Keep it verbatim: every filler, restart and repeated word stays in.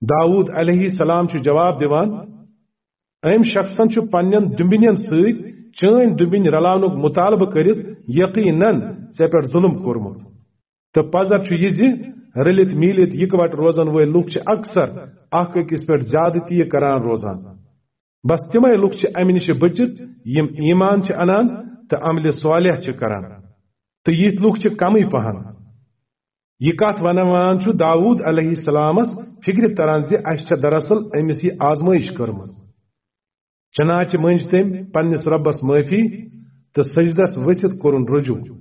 داوود علیہ السلام چھُ جواب دِوان، أمۍ شخصن چھُ پننٮ۪ن دُمبنٮ۪ن سۭتۍ چٲنۍ دُمبِنۍ رلاونُک مطالبہٕ کٔرِتھ یقیناً ژےٚ پٮ۪ٹھ ظلم کوٚرمُت۔ تہٕ پزر چھُ یہِ زِ رٔلِتھ میٖلِتھ یِکوٹہٕ روزن وٲلۍ لوٗکھ چھِ اکثر اکھ أکِس پٮ۪ٹھ زیادٕ تہِ یہِ کران روزان۔ بس تِمے لوٗکھ چھِ امہِ نِش بٔچِتھ یِم ایمان چھِ انان تہٕ عملِ صالح چھِ کران، تہٕ یِتھۍ لوٗکھ چھِ کمٕے پہن۔ یہِ کتھ ونوان چھُ داوود علیہ السلامس فکرِ تران زِ اسہِ چھےٚ دراصل أمِس یہِ آزمٲیش کٔرمٕژ۔ چنانچہ مٔنج تٔمۍ پننِس رۄبس معٲفی تہٕ سجدس ؤسِتھ کوٚرُن رجوع۔